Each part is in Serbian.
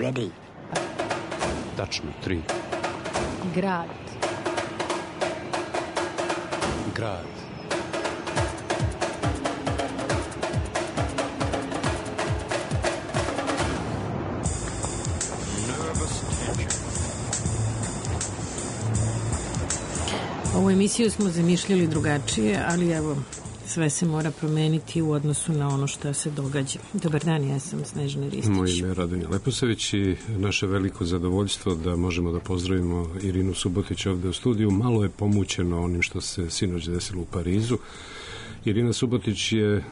ready. Tačno, 3. Grad. Grad. Ovu emisiju smo zamišljali drugačije, ali evo, sve se mora promeniti u odnosu na ono što se događa. Dobar dan, ja sam Snežana Ristić. Moje ime je Radomir Leposavić i naše veliko zadovoljstvo da možemo da pozdravimo Irinu Subotić ovde u studiju. Malo je pomućeno onim što se sinoć desilo u Parizu. Irina Subotić je,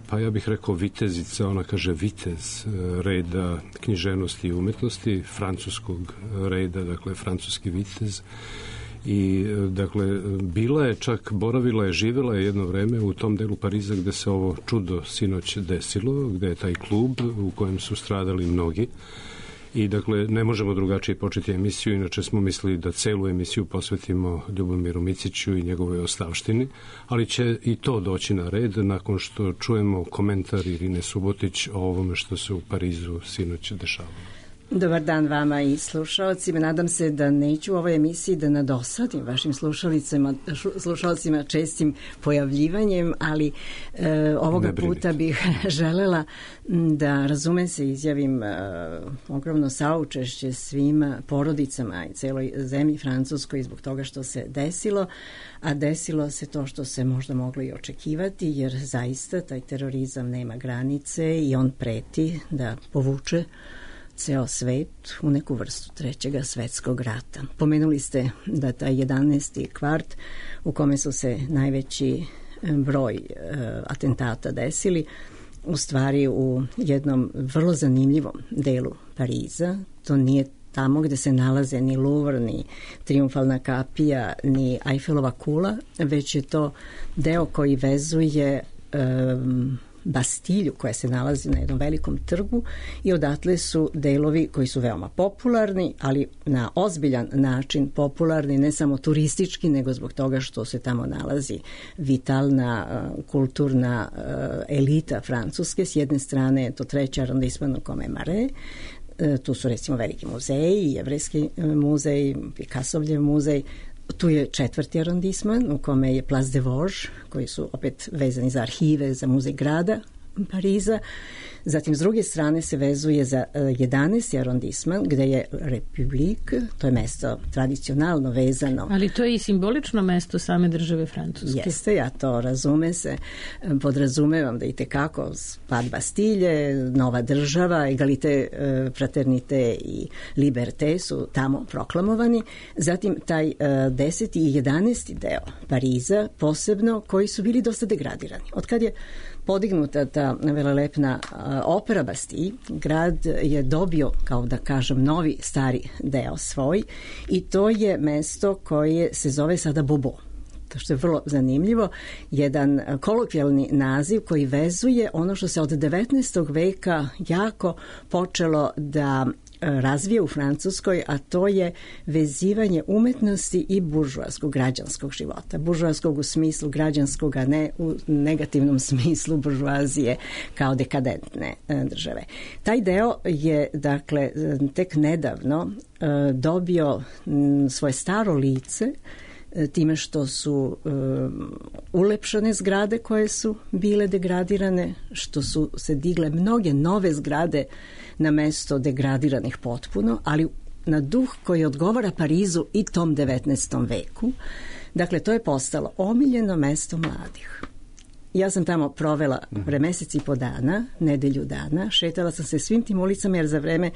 pa ja bih rekao, vitezica, ona kaže vitez reda književnosti i umetnosti, francuskog reda, dakle francuski vitez. I, dakle, bila je čak, boravila je, živela je jedno vreme u tom delu Pariza gde se ovo čudo sinoć desilo, gde je taj klub u kojem su stradali mnogi. I, dakle, ne možemo drugačije početi emisiju, inače smo mislili da celu emisiju posvetimo Ljubomiru Miciću i njegovoj ostavštini, ali će i to doći na red nakon što čujemo komentar Irine Subotić o ovome što se u Parizu sinoć dešavalo. Dobar dan vama i slušalcima. Nadam se da neću u ovoj emisiji da nadosadim vašim slušalcima čestim pojavljivanjem, ali ovoga puta bih želela da, razume se, izjavim ogromno saučešće svim porodicama i celoj zemlji Francuskoj zbog toga što se desilo, a desilo se to što se možda moglo i očekivati, jer zaista taj terorizam nema granice i on preti da povuče ceo svet u neku vrstu trećega svetskog rata. Pomenuli ste da taj 11. kvart u kome su se najveći broj atentata desili, u stvari u jednom vrlo zanimljivom delu Pariza. To nije tamo gde se nalaze ni Louvre, ni Triumfalna kapija, ni Eiffelova kula, već je to deo koji vezuje Bastilju koja se nalazi na jednom velikom trgu i odatle su delovi koji su veoma popularni, ali na ozbiljan način popularni, ne samo turistički, nego zbog toga što se tamo nalazi vitalna kulturna elita Francuske. S jedne strane je to 3. arondisman u kome je Marais, tu su recimo veliki muzeji, Jevrejski muzej, Picassovljev muzej. Tu je 4. arondisman u kome je Place des Vosges, koji su opet vezani za arhive, za muzej grada Pariza. Zatim, s druge strane se vezuje za 11. arondisman, gde je Republik, to je mesto tradicionalno vezano. Ali to je i simbolično mesto same države Francuske. Jeste, ja to razume se, podrazumevam da i tekako pad Bastilje, nova država, egalite, fraternite i liberte su tamo proklamovani. Zatim, taj 10. i 11. deo Pariza, posebno, koji su bili dosta degradirani. Od kad je podignuta ta velelepna opera Bastille, grad je dobio, kao da kažem, novi stari deo svoj i to je mesto koje se zove sada Beaubourg. To što je vrlo zanimljivo, jedan kolokvijalni naziv koji vezuje ono što se od 19. veka jako počelo da razvije u Francuskoj, a to je vezivanje umetnosti i buržoaskog građanskog života. Buržoaskog u smislu građanskog, a ne u negativnom smislu buržoazije kao dekadentne države. Taj deo je, dakle, tek nedavno dobio svoje staro lice time što su ulepšane zgrade koje su bile degradirane, što su se digle mnoge nove zgrade na mesto degradiranih potpuno, ali na duh koji odgovara Parizu i tom 19. veku. Dakle, to je postalo omiljeno mesto mladih. Ja sam tamo provela pre mesec i po dana, nedelju dana, šetala sam se svim tim ulicama jer za vreme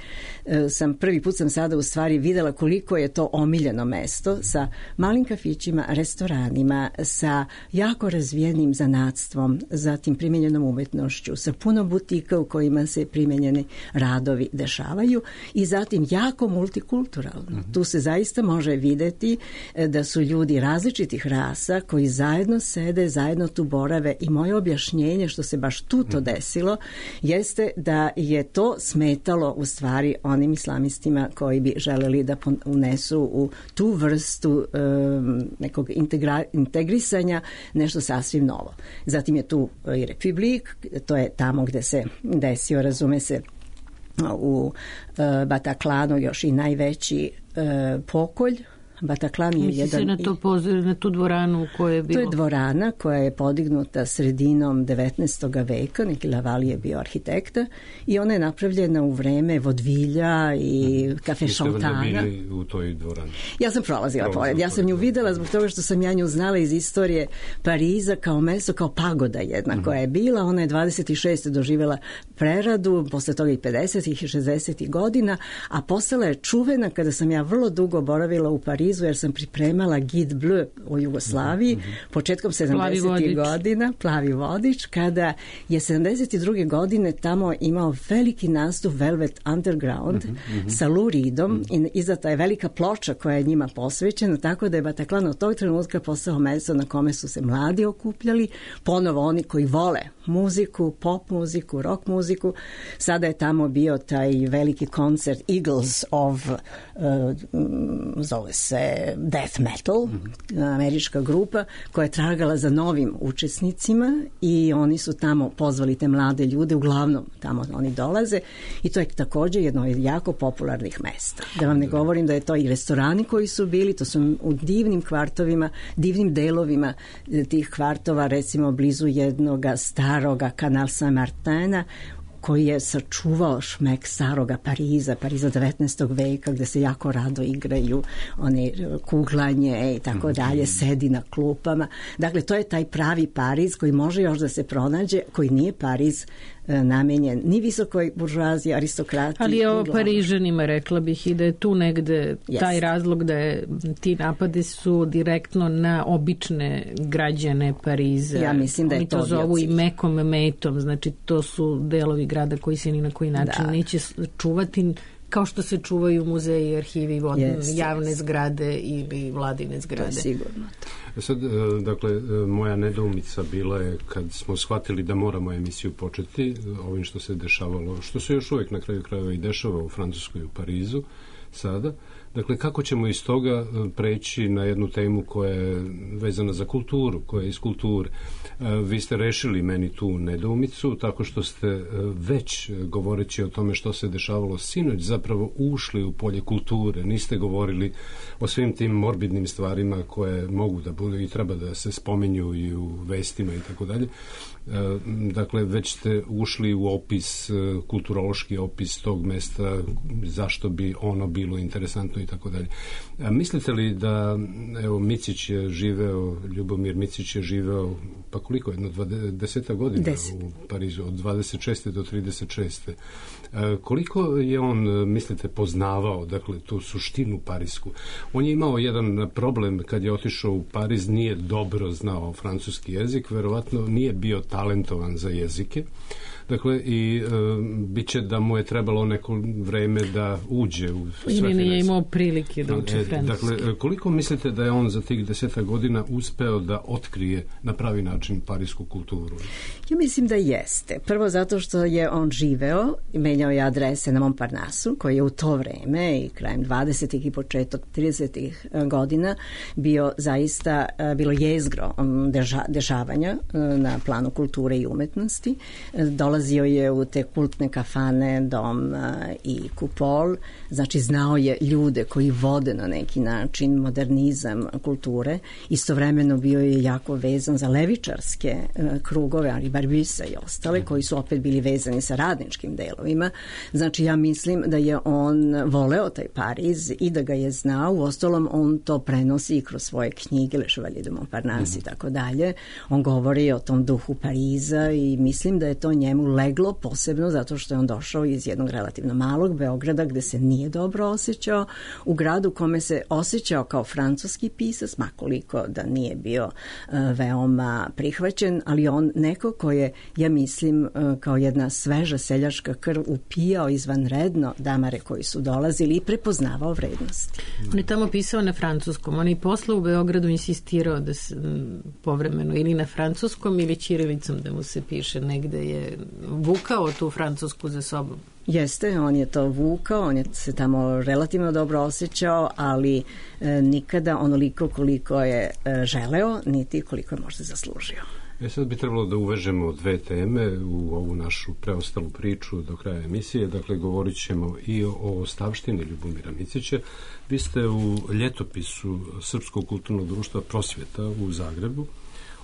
prvi put sam sada u stvari videla koliko je to omiljeno mesto sa malim kafićima, restoranima, sa jako razvijenim zanatstvom, zatim primenjenom umetnošću, sa puno butika u kojima se primenjeni radovi dešavaju i zatim jako multikulturalno. Tu se zaista može videti da su ljudi različitih rasa koji zajedno sede, zajedno tu borave i moje objašnjenje što se baš tu to desilo jeste da je to smetalo u stvari onim islamistima koji bi želeli da unesu u tu vrstu nekog integrisanja nešto sasvim novo. Zatim je tu i Republik, to je tamo gde se desio, razume se, u Bataklanu još i najveći pokolj. Bataclan je jedan... na tu dvoranu u kojoj je bilo... To je dvorana koja je podignuta sredinom 19. veka, neki Lavalije je bio arhitekta, i ona je napravljena u vreme vodvilja i kafe Šaltana. Vi ste bili u toj dvorani? Ja sam prolazila pored. Ja sam nju videla zbog toga što sam ja nju znala iz istorije Pariza kao mesto, kao pagoda jedna koja je bila. Ona je 26. doživjela preradu, posle toga i 50. i 60. godina, a postala je čuvena kada sam ja vrlo dugo boravila u Parizu, jer sam pripremala Guide Bleu o Jugoslaviji početkom 70. godina, Plavi vodič, kada je 72. godine tamo imao veliki nastup Velvet Underground sa Lou Reedom i izdata je velika ploča koja je njima posvećena, tako da je Bataclan od tog trenutka postao mesto na kome su se mladi okupljali, ponovo oni koji vole muziku, pop muziku, rock muziku. Sada je tamo bio taj veliki koncert Eagles of zove se Death Metal, američka grupa koja je tragala za novim učesnicima i oni su tamo pozvali te mlade ljude, uglavnom tamo oni dolaze i to je također jedno od jako popularnih mesta. Da vam ne govorim da je to i restorani koji su bili, to su u divnim kvartovima, divnim delovima tih kvartova, recimo blizu jednoga staroga Canal Saint-Martina, koji je sačuvao šmek staroga Pariza 19. veka, gde se jako rado igraju one kuglanje i tako dalje, sedi na klupama. Dakle, to je taj pravi Pariz koji može još da se pronađe, koji nije Pariz namenjen ni visokoj buržuaziji, aristokrati. Ali je ovo Parižanima, rekla bih, i da je tu negde taj razlog da je, ti napadi su direktno na obične građane Pariza. Ja mislim da je to zovu i mekom metom, znači to su delovi grada koji se ni na koji način neće čuvati, kao što se čuvaju muzeji, arhivi, javne zgrade ili vladine zgrade. To je sigurno. Sad, dakle, moja nedoumica bila je kad smo shvatili da moramo emisiju početi ovim što se dešavalo, što se još uvijek na kraju krajeva i dešava u Francuskoj, u Parizu sada. Dakle, kako ćemo iz toga preći na jednu temu koja je vezana za kulturu, koja je iz kulture. Vi ste rešili meni tu nedoumicu tako što ste već, govoreći o tome što se dešavalo sinoć, zapravo ušli u polje kulture. Niste govorili o svim tim morbidnim stvarima koje mogu da budu i treba da se spominju i u vestima i tako dalje. Dakle, već ste ušli u opis, kulturološki opis tog mesta, zašto bi ono bilo interesantno i tako dalje. Mislite li da, evo, Micić je živeo, Ljubomir Micić je živeo, pa koliko, jedno 20 godina u Parizu, od 26. do 36. Koliko je on, mislite, poznavao, dakle, tu suštinu parisku? On je imao jedan problem kad je otišao u Pariz, nije dobro znao francuski jezik, verovatno nije bio talentovan za jezike. Dakle, i bit će da mu je trebalo neko vreme da uđe u sve financije. Nije imao prilike da uče francuski. Dakle, koliko mislite da je on za tih 10 godina uspeo da otkrije na pravi način parisku kulturu? Ja mislim da jeste. Prvo zato što je on živeo i menjao je adrese na Montparnasu, koji je u to vreme i krajem 20. i početak 30. godina bio zaista, bilo jezgro dešavanja na planu kulture i umetnosti. Dolazio je u te kultne kafane Dom i Kupol, znači znao je ljude koji vode na neki način modernizam kulture. Istovremeno bio je jako vezan za levičarske krugove, ali Barbusa i ostale, koji su opet bili vezani sa radničkim delovima. Znači ja mislim da je on voleo taj Pariz i da ga je znao. Uostalom on to prenosi i kroz svoje knjige, Le Chevalier de Montparnasse i tako dalje. On govori o tom duhu Pariza i mislim da je to njemu leglo posebno zato što je on došao iz jednog relativno malog Beograda gde se nije dobro osjećao, u gradu kome se osjećao kao francuski pisac, makoliko da nije bio veoma prihvaćen, ali on neko ko je, ja mislim, kao jedna sveža seljačka krv upijao izvanredno damare koji su dolazili i prepoznavao vrednosti. On je tamo pisao na francuskom, on je posle u Beogradu insistirao da se povremeno ili na francuskom ili ćirilicom da mu se piše, negde je vukao tu francusku za sobom. Jeste, on je to vukao, on je se tamo relativno dobro osjećao, ali nikada onoliko koliko je želeo, niti koliko je možda zaslužio. Sad bi trebalo da uvežemo dve teme u ovu našu preostalu priču do kraja emisije. Dakle, govorit ćemo i o ostavštini Ljubomira Micića. Vi ste u ljetopisu Srpskog kulturnog društva Prosvjeta u Zagrebu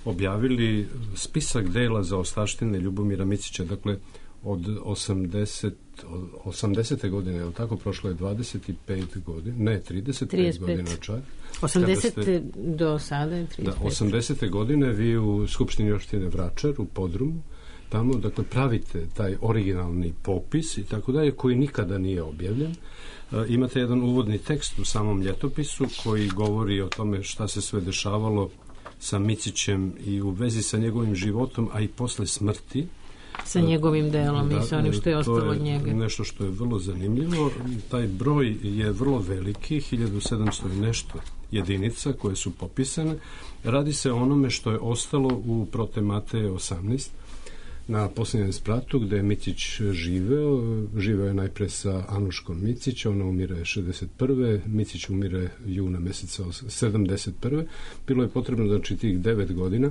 objavili spisak dela za ostavštine Ljubomira Micića. Dakle, od 80. godine, je li tako? Prošlo je 25 godina, ne, 35 godina čak. 80. do sada je 35. Da, 80. godine vi u Skupštini opštine Vračar u Podrumu, tamo, dakle, pravite taj originalni popis i tako dalje, koji nikada nije objavljen. Imate jedan uvodni tekst u samom ljetopisu koji govori o tome šta se sve dešavalo sa Micićem i u vezi sa njegovim životom, a i posle smrti. Sa njegovim delom i sa onim što je ostalo od njega. To je nešto što je vrlo zanimljivo. Taj broj je vrlo veliki, 1700 i nešto jedinica koje su popisane. Radi se o onome što je ostalo u Prote Mateje 18 na posljednjem spratu gde je Micić živeo je najpre sa Anuškom Micić, ona umire 61. Micić umire juna meseca 71. Bilo je potrebno, znači, tih 9 godina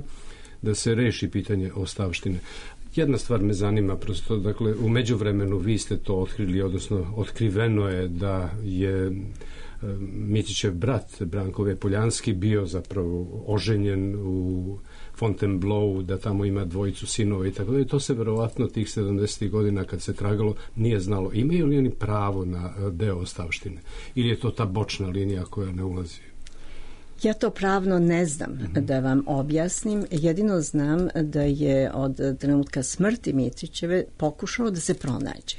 da se reši pitanje ostavštine. Jedna stvar me zanima, prosto, dakle, u međuvremenu vi ste to otkrili, odnosno otkriveno je da je Micićev brat Branko Poljanski bio zapravo oženjen u Fontainebleau, da tamo ima dvojicu sinova i tako da. I to se verovatno tih 70. godina kad se tragalo nije znalo. Imaju li oni pravo na deo ostavštine? Ili je to ta bočna linija koja ne ulazi? Ja to pravno ne znam da vam objasnim. Jedino znam da je od trenutka smrti Micićeve pokušao da se pronađe.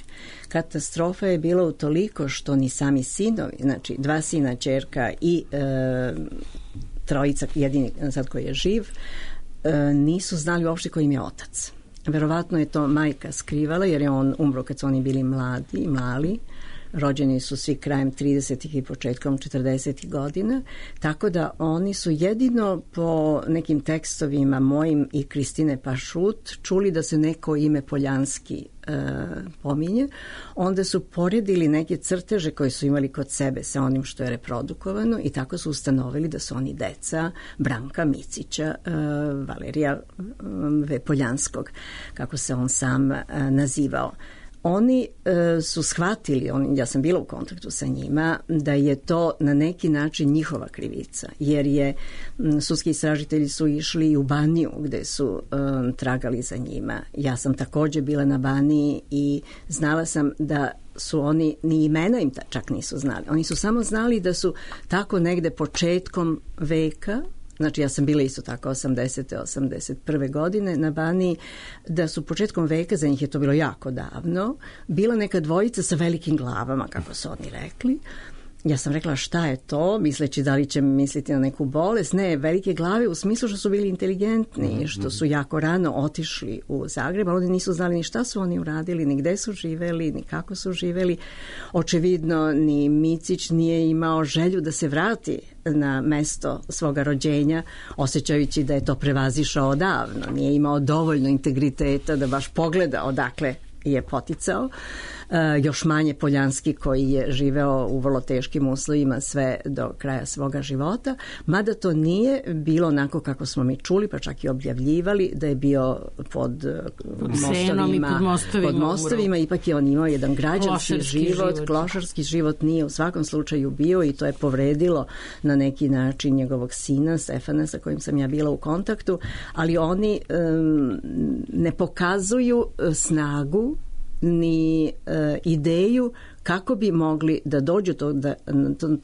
Katastrofa je bila utoliko što ni sami sinovi, znači 2 sina, ćerka i trojica, jedini sad koji je živ, nisu znali uopšte ko im je otac. Verovatno je to majka skrivala jer je on umro kad su oni bili mali. Rođeni su svi krajem 30. i početkom 40. godina, tako da oni su jedino po nekim tekstovima mojim i Kristine Pašut čuli da se neko ime Poljanski pominje. Onda su poredili neke crteže koje su imali kod sebe sa onim što je reprodukovano i tako su ustanovili da su oni deca Branka Micića, Valerija Poljanskog, kako se on sam nazivao. Oni su shvatili, ja sam bila u kontaktu sa njima, da je to na neki način njihova krivica, jer je sudski istražitelji su išli i u Baniju gde su tragali za njima. Ja sam također bila na Baniji i znala sam da su oni, ni imena im čak nisu znali. Oni su samo znali da su tako negde početkom veka, znači ja sam bila isto tako 80. 81. godine na Baniji, da su početkom veka, za njih je to bilo jako davno, bila neka dvojica sa velikim glavama, kako su oni rekli. Ja sam rekla šta je to, misleći da li će misliti na neku bolest. Ne, velike glave u smislu što su bili inteligentni, što su jako rano otišli u Zagreb, ali oni nisu znali ni šta su oni uradili, ni gde su živeli, ni kako su živeli. Očevidno ni Micić nije imao želju da se vrati na mesto svoga rođenja, osjećajući da je to prevazišao odavno. Nije imao dovoljno integriteta da baš pogleda odakle je poticao. Još manje Poljanski koji je živeo u vrlo teškim uslovima sve do kraja svoga života, mada to nije bilo onako kako smo mi čuli, pa čak i objavljivali da je bio pod mostovima, ipak je on imao jedan građanski život, klošarski život nije u svakom slučaju bio i to je povredilo na neki način njegovog sina Stefana sa kojim sam ja bila u kontaktu, ali oni ne pokazuju snagu ni ideju kako bi mogli da dođu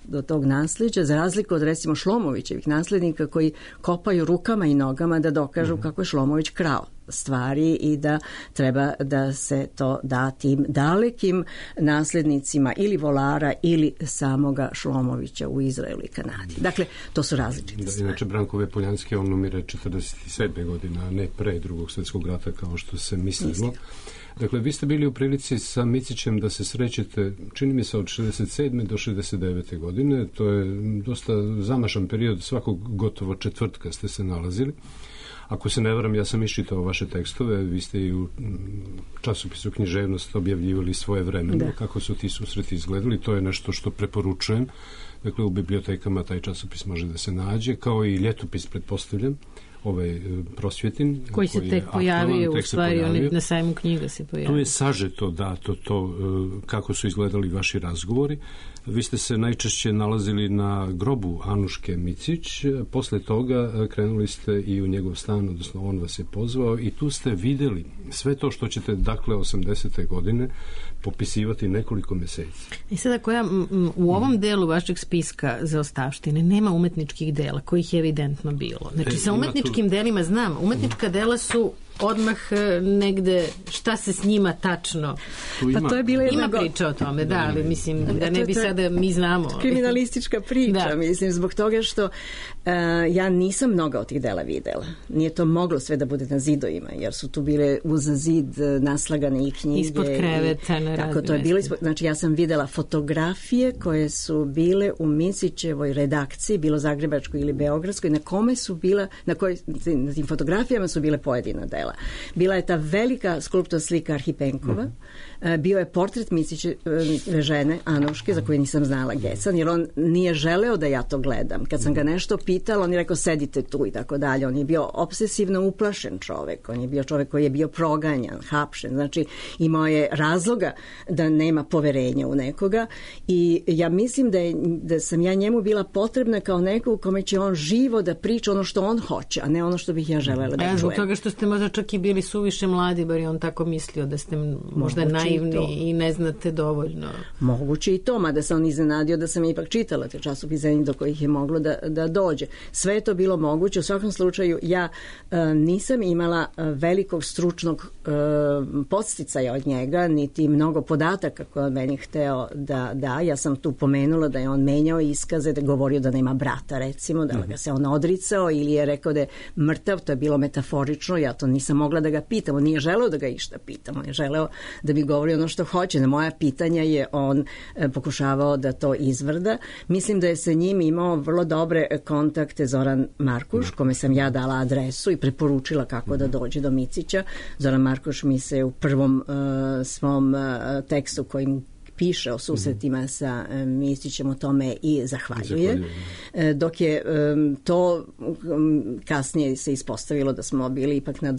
do tog nasljeđa, za razliku od recimo Šlomovićevih naslednika koji kopaju rukama i nogama da dokažu kako je Šlomović krao stvari i da treba da se to da tim dalekim naslednicima ili volara ili samoga Šlomovića u Izraelu i Kanadi. Dakle, to su različite stvari. Inače, Branko Poljanski, on umire 47. godina, a ne pre Drugog svjetskog rata kao što se mislilo. Dakle, vi ste bili u prilici sa Micićem da se srećete, čini mi se, od 67. do 69. godine. To je dosta zamašan period, svakog gotovo četvrtka ste se nalazili. Ako se ne varam, ja sam iščitao vaše tekstove, vi ste i u časopisu Književnost objavljivali svoje vremeno, kako su ti susreti izgledali, to je nešto što preporučujem. Dakle, u bibliotekama taj časopis može da se nađe, kao i ljetopis, pretpostavljam, Prosvjetin. Koji se tek pojavio, u stvari, na sajmu knjiga se pojavio. Tu je sažeto dato to kako su izgledali vaši razgovori. Vi ste se najčešće nalazili na grobu Anuške Micić, posle toga krenuli ste i u njegov stan, odnosno on vas je pozvao i tu ste videli sve to što ćete, dakle, 80. godine popisivati nekoliko meseci. I sad ako ja u ovom delu vašeg spiska zaostavštine nema umetničkih dela, kojih je evidentno bilo. Znači, sa umetničkim delima znam, umetnička dela su odmah negde šta se s njima tačno. Pa to je bila ima priča o tome, da, ali mislim da ne bi sada mi znamo. Kriminalistička priča, mislim, zbog toga što ja nisam mnoga od tih dela videla. Nije to moglo sve da bude na zidovima, jer su tu bile uz zid naslagane i knjige. Ispod kreveta, na tako to je bilo. Znači, ja sam videla fotografije koje su bile u Micićevoj redakciji, bilo zagrebačkoj ili beogradskoj, na kome su bila, na tim fotografijama su bile pojedina dela. Bila je ta velika skulptorska slika Arhipenkova, bio je portret Micićeve žene Anuške, za koju nisam znala Gecan, jer on nije želeo da ja to gledam. Kad sam ga nešto pitala, on je rekao sedite tu i tako dalje. On je bio obsesivno uplašen čovek, on je bio čovek koji je bio proganjan, hapšen, znači imao je razloga da nema poverenja u nekoga i ja mislim da sam ja njemu bila potrebna kao neko u kome će on živo da priča ono što on hoće, a ne ono što bih ja želela da čujem. Zbog toga što ste možda čak i bili suviše mladi, bar je on tako mislio da ste možda naivni i ne znate dovoljno. Moguće i to, mada se on iznenadio da sam ipak čitala te časopise do kojih je moglo da dođe. Sve je to bilo moguće. U svakom slučaju ja nisam imala velikog stručnog podsticaja od njega, niti mnogo podataka koje on meni hteo da da. Ja sam tu pomenula da je on menjao iskaze, da je govorio da nema brata, recimo, da ga se on odricao ili je rekao da je mrtav, to je bilo metaforično, ja to nisam mogla da ga pitam, on nije želeo da ga išta pitam, on je želeo da bi govorio ono što hoće. Na moja pitanja je on pokušavao da to izvrda. Mislim da je sa njim imao vrlo dobre kontakte Zoran Markuš, kome sam ja dala adresu i preporučila kako da dođe do Micića. Zoran Markuš mi se u prvom svom tekstu kojim piše o susretima sa Micićem o tome i zahvaljuje. Dok je to kasnije se ispostavilo da smo bili ipak na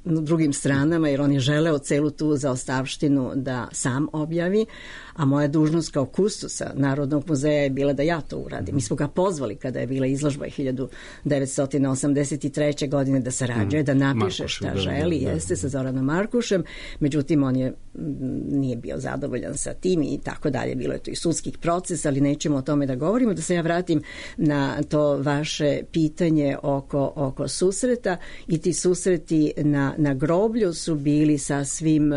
drugim stranama, jer on je želeo celu tu zaostavštinu da sam objavi, a moja dužnost kao kustosa Narodnog muzeja je bila da ja to uradim. Mi smo ga pozvali kada je bila izložba 1983. godine da sarađuje, da napiše šta želi, jeste sa Zoranom Markušem, međutim on nije bio zadovoljan sa tim i tako dalje. Bilo je to i sudskih procesa, ali nećemo o tome da govorimo. Da se ja vratim na to vaše pitanje oko susreta, i ti susreti na groblju su bili sasvim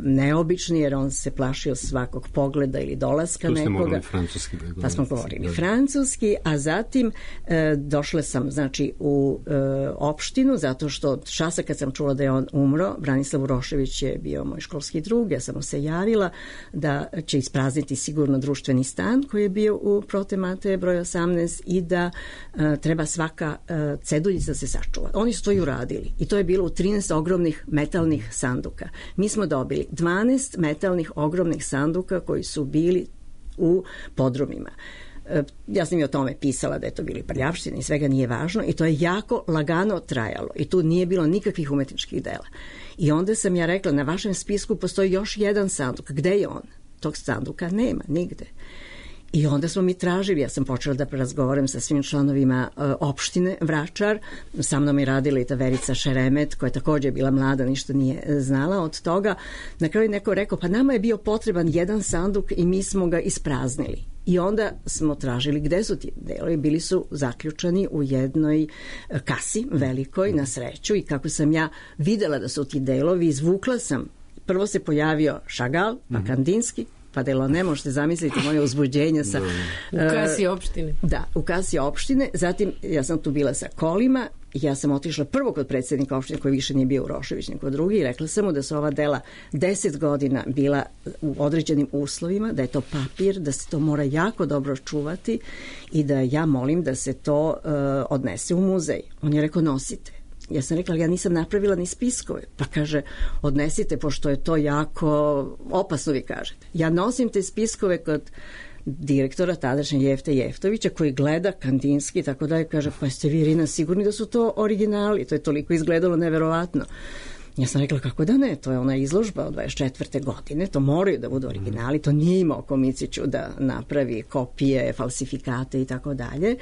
neobični, jer on se plašio svakog pogleda ili dolaska nekoga. Tu ste morali francuski. Pa smo govorili francuski, a zatim došla sam, znači, u opštinu, zato što časa kad sam čula da je on umro, Branislav Urošević je bio moj školski drug, ja sam mu se javila da će isprazniti sigurno društveni stan koji je bio u Prote Mateje broj 18 i da treba svaka ceduljica se sačuva. Oni su to i uradili i to je bilo u 13 ogromnih metalnih sanduka. Mi smo dobili 12 metalnih ogromnih sanduka koji su bili u podrumima. Ja sam i o tome pisala da je to bili prljavštine i svega, nije važno, i to je jako lagano trajalo i tu nije bilo nikakvih umetničkih dela. I onda sam ja rekla, na vašem spisku postoji još jedan sanduk, gde je on? Tog sanduka nema nigde. I onda smo mi tražili, ja sam počela da razgovaram sa svim članovima opštine Vračar, sa mnom je radila i ta Verica Šeremet, koja je također bila mlada, ništa nije znala od toga. Na kraju neko rekao, pa nama je bio potreban jedan sanduk i mi smo ga ispraznili. I onda smo tražili gde su ti delovi, bili su zaključani u jednoj kasi velikoj, na sreću, i kako sam ja videla da su ti delovi, izvukla sam, prvo se pojavio Šagal, pa Kandinski, pa delo, ne možete zamisliti moje uzbuđenje sa... U kasi opštine. Da, u kasi opštine. Zatim ja sam tu bila sa kolima, ja sam otišla prvo kod predsjednika opštine, koji više nije bio Urošević, nego drugi, i rekla sam mu da su ova dela 10 godina bila u određenim uslovima, da je to papir, da se to mora jako dobro čuvati i da ja molim da se to odnese u muzej. On je rekao, nosite. Ja sam rekla, ali ja nisam napravila ni spiskove. Pa kaže, odnesite, pošto je to jako opasno, vi kažete. Ja nosim te spiskove kod direktora tadašnje Jefte Jeftovića, koji gleda Kandinski i tako dalje, kaže, pa ste vi, Irina, sigurni da su to originali? To je toliko izgledalo neverovatno. Ja sam rekla, kako da ne, to je ona izložba od 24. godine, to moraju da budu originali, to nije imao Komiciću da napravi kopije, falsifikate i tako dalje.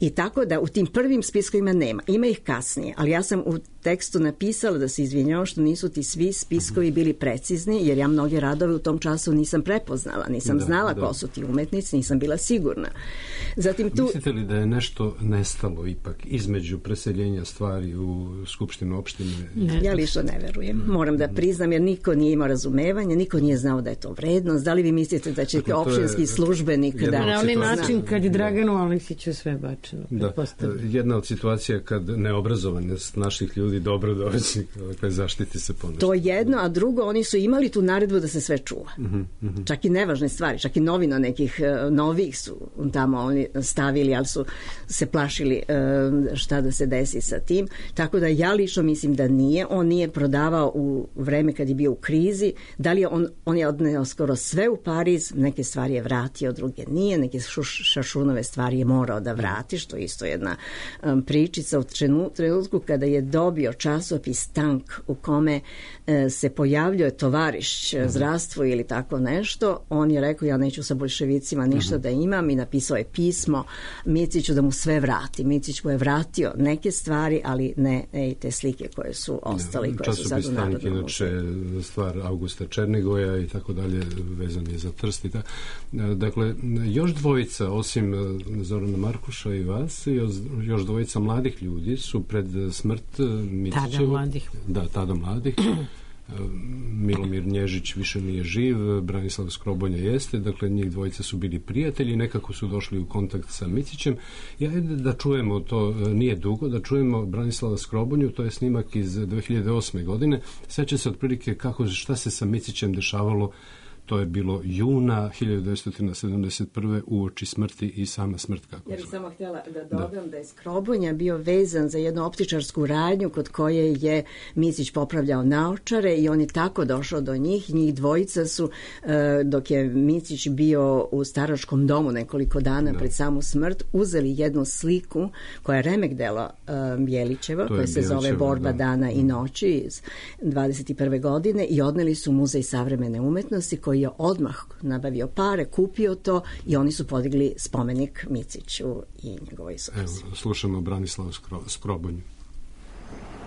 I tako da u tim prvim spiskovima nema, ima ih kasnije, ali ja sam u tekstu napisala da se izvinjava što nisu ti svi spiskovi bili precizni, jer ja mnoge radove u tom času nisam prepoznala, nisam znala ko su ti umetnici, nisam bila sigurna. Zatim tu... Mislite li da je nešto nestalo ipak između preseljenja stvari u Skupštinu opštine? Ja lično ne verujem. Moram da priznam, jer niko nije imao razumevanja, niko nije znao da je to vrednost. Da li vi mislite da će opštinski službenik da... Na onaj način kad je Draganu Aleksiću sve bačeno. Da, jedna od situacija kad neobrazovanost naših ljudi dobro doći, zaštiti se ponešto. To jedno, a drugo, oni su imali tu naredbu da se sve čuva. Čak i nevažne stvari, čak i novina nekih novih su tamo oni stavili, ali su se plašili šta da se desi sa tim. Tako da ja lično mislim da nije. On nije prodavao u vreme kad je bio u krizi. Da li je on je odneo skoro sve u Pariz, neke stvari je vratio, druge nije, neke šašunove stvari je morao da vrati, što je isto jedna pričica u trenutku kada je dobio časopis Tank u kome se pojavljuje tovariš zdravstvo ili tako nešto, on je rekao, ja neću sa boljševicima ništa da imam, i napisao je pismo Miciću da mu sve vrati. Micić mu je vratio neke stvari, ali ne te slike koje su ostale i koje su sad u Narodnom muzeju. Inače, stvar Augusta Černigoja i tako dalje, vezan je za Trst i tako. Dakle, još dvojica, osim Zorana Markuša i vas, još dvojica mladih ljudi su pred smrt Micićeva. Tada mladih. Da, tada mladih. Milomir Nježić više nije živ, Branislav Skrobonja jeste, dakle njih dvojica su bili prijatelji, nekako su došli u kontakt sa Micićem. Ja da čujemo, to nije dugo, da čujemo Branislava Skrobonju, to je snimak iz 2008. godine. Seća se otprilike šta se sa Micićem dešavalo. To je bilo juna 1971. uoči smrti i sama smrt. Ja bih samo htjela da dodam da je Skrobonja bio vezan za jednu optičarsku radnju kod koje je Micić popravljao naočare i on je tako došao do njih. Njih dvojica su, dok je Micić bio u staračkom domu nekoliko dana pred samu smrt, uzeli jednu sliku koja je remek delo Bjelićeva, koja se zove Borba dana i noći iz 21. godine, i odneli su u Muzej savremene umetnosti, koji je odmah nabavio pare, kupio to, i oni su podigli spomenik Miciću i njegovoj supruzi. Evo, slušamo Branislavu Skrobonju.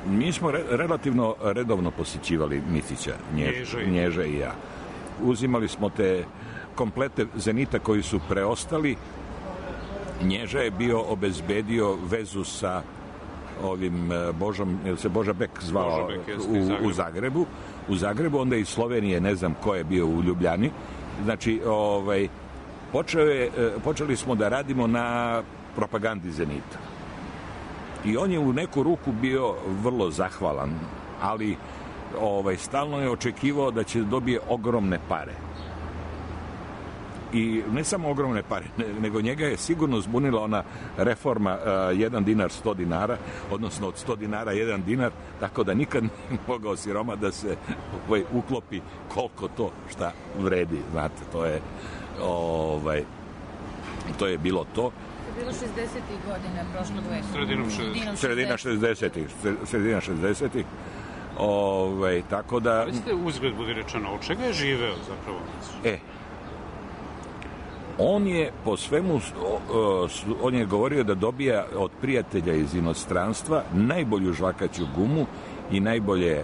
Mi smo relativno redovno posjećivali Micića, Nježa i ja. Uzimali smo te komplete Zenita koji su preostali. Nježa je bio obezbedio vezu sa ovim Božom, je se Boža Bek zvao u Zagrebu, onda iz Slovenije, ne znam ko je bio u Ljubljani. Znači, počeli smo da radimo na propagandi Zenita. I on je u neku ruku bio vrlo zahvalan, ali stalno je očekivao da će dobije ogromne pare. I ne samo ogromne pare, nego njega je sigurno zbunila ona reforma 1 dinar 100 dinara, odnosno od 100 dinara 1 dinar, tako da nikad nije mogao siroma da se uklopi koliko to šta vredi. Znate, to je bilo to. To je bilo 60. godina prošlog veka. Sredina 60. Tako da... Ali ste uzgled budi rečeno, od čega je živeo zapravo? On je po svemu, on je govorio da dobija od prijatelja iz inostranstva najbolju žvakaću gumu i najbolje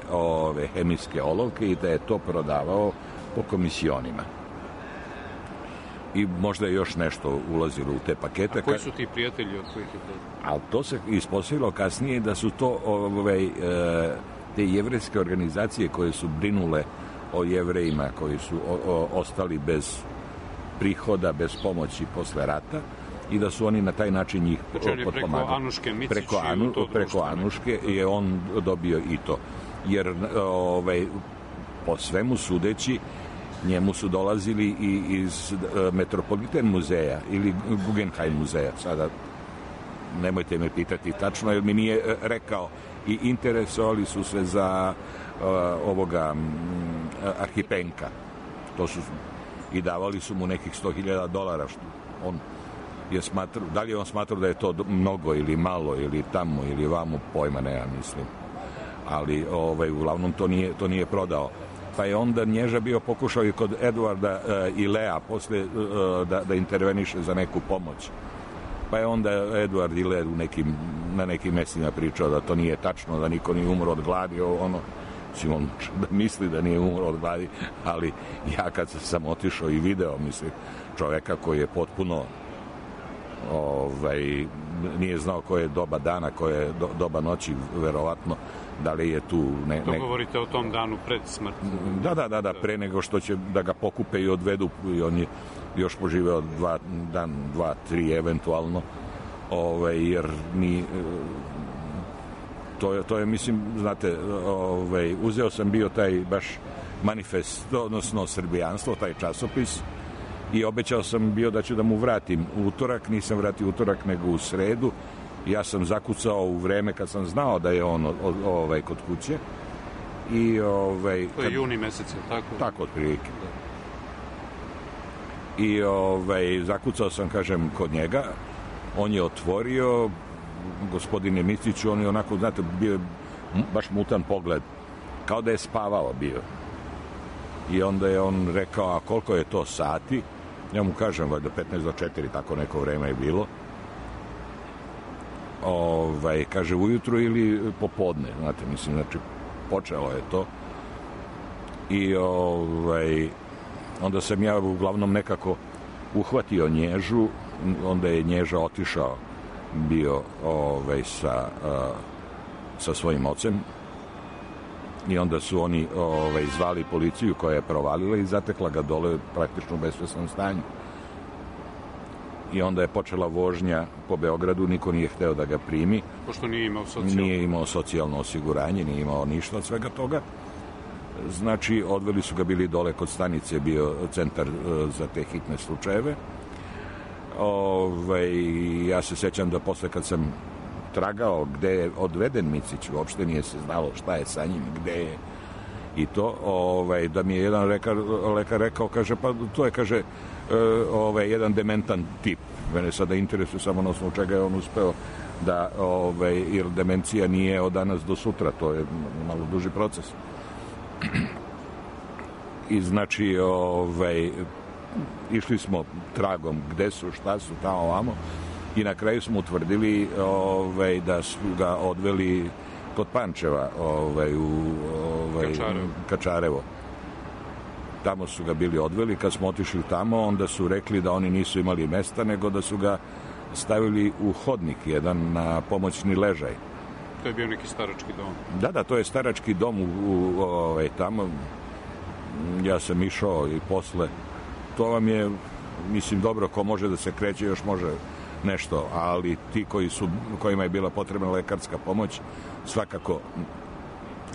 hemijske olovke, i da je to prodavao po komisionima. I možda je još nešto ulazilo u te pakete. A koji su ti prijatelji od kojih je to? Ali to se ispostavilo kasnije da su to te jevrejske organizacije koje su brinule o Jevrejima koji su ostali bez prihoda, bez pomoći posle rata, i da su oni na taj način njih potpomagali. Preko Anuške Micić preko Anuške je on dobio i to. Jer po svemu sudeći njemu su dolazili i iz Metropolitan muzeja ili Guggenheim muzeja. Sada nemojte me pitati tačno, jer mi nije rekao, i interesovali su se za ovoga Arhipenka. To su i davali su mu nekih $100,000, što on je smatrao, da li je on smatrao da je to mnogo ili malo ili tamo ili vamo, pojma nema, mislim, ali uglavnom to nije prodao. Pa je onda Nježa bio pokušao i kod Eduarda i Lea posle da interveniše za neku pomoć. Pa je onda Eduard i Lea na nekim mestima pričao da to nije tačno, da niko nije umro od gladi, on misli da nije umro od gladi, ali ja kad sam otišao i video, mislim, čoveka koji je potpuno nije znao koje je doba dana, koje je doba noći, verovatno, da li je tu... To govorite o tom danu pred smrti. Da, pre nego što će da ga pokupe i odvedu, i on je još poživeo 2, 3 eventualno, jer to je, mislim, znate, uzeo sam bio taj baš manifest, odnosno srbijanstvo, taj časopis, i obećao sam bio da ću da mu vratim utorak, nisam vratio utorak nego u sredu. Ja sam zakucao u vreme kad sam znao da je on kod kuće. I to je juni mesec, je tako? Tako, otprilike. I zakucao sam, kažem, kod njega. On je otvorio, gospodine Miciću, on je onako, znate, bio baš mutan pogled, kao da je spavao bio. I onda je on rekao, a koliko je to sati? Ja mu kažem, valjda 15 do 4, tako neko vreme je bilo. Kaže, ujutru ili popodne, znate, mislim, znači, počelo je to. I onda sam ja uglavnom nekako uhvatio Nježu, onda je Nježa otišao bio sa svojim ocem, i onda su oni zvali policiju koja je provalila i zatekla ga dole praktično u besvesnom stanju. I onda je počela vožnja po Beogradu, niko nije hteo da ga primi. Pošto nije imao socijalno osiguranje, nije imao ništa od svega toga. Znači, odveli su ga, bili dole kod stanice, bio centar za te hitne slučajeve. Ja se sećam da posle kad sam tragao gde je odveden Micić, uopšte nije se znalo šta je sa njim, gde je i to, da mi je jedan lekar rekao, kaže, pa to je, kaže, jedan dementan tip. Mene sada interesuje samo na osnovu čega je on uspeo da, jer demencija nije od danas do sutra, to je malo duži proces. I znači, išli smo tragom gde su, šta su, tamo, ovamo, i na kraju smo utvrdili da su ga odveli kod Pančeva u Kačarevo. Tamo su ga bili odveli. Kad smo otišli tamo, onda su rekli da oni nisu imali mesta, nego da su ga stavili u hodnik jedan na pomoćni ležaj. To je bio neki starački dom. Da, to je starački dom tamo. Ja sam išao i posle. To vam je, mislim, dobro, ko može da se kreće, još može nešto, ali ti kojima je bila potrebna lekarska pomoć, svakako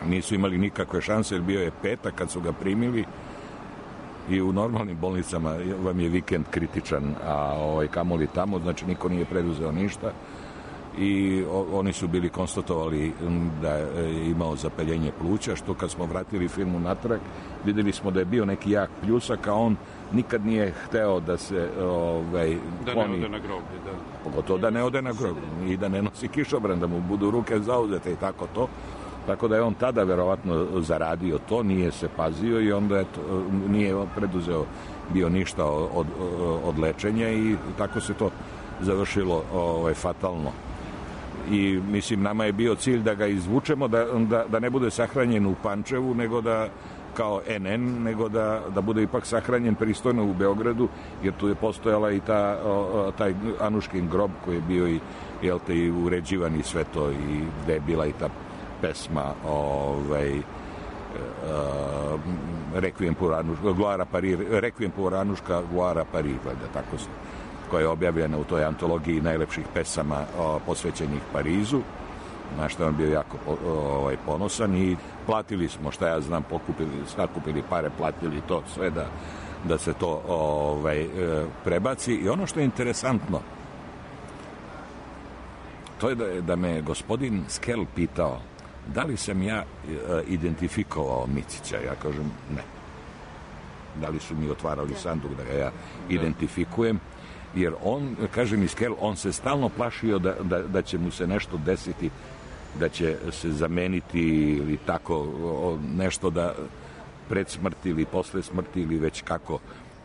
nisu imali nikakve šanse, jer bio je petak kad su ga primili, i u normalnim bolnicama vam je vikend kritičan, a kamoli tamo, znači niko nije preduzeo ništa, i oni su bili konstatovali da je imao zapaljenje pluća, što kad smo vratili firmu natrag, videli smo da je bio neki jak pljusak, a on nikad nije hteo da se da ne ode na groblje, da. Pogotovo da ne ode na groblje i da ne nosi kišobran, da mu budu ruke zauzete i tako to. Tako da je on tada verovatno zaradio to, nije se pazio i onda nije preduzeo bio ništa od lečenja, i tako se to završilo fatalno. I mislim, nama je bio cilj da ga izvučemo, da ne bude sahranjen u Pančevu, nego da kao NN, nego da bude ipak sahranjen pristojno u Beogradu, jer tu je postojala i taj Anuškin grob koji je bio i uređivan i sve to, i gde je bila i ta pesma Requiem pour Anuška Guara Paris, tako se, koja je objavljena u toj antologiji najlepših pesama posvećenih Parizu, na što on bio jako ponosan, i platili smo, šta ja znam, sakupili pare, platili to sve da se to prebaci. I ono što je interesantno, to je da me gospodin Skel pitao da li sam ja identifikovao Micića. Ja kažem ne. da li su mi otvarali sanduk da ga ja identifikujem, jer on, kaže mi Skel, on se stalno plašio da će mu se nešto desiti, da će se zameniti ili tako nešto da pred smrti ili posle smrti ili već kako,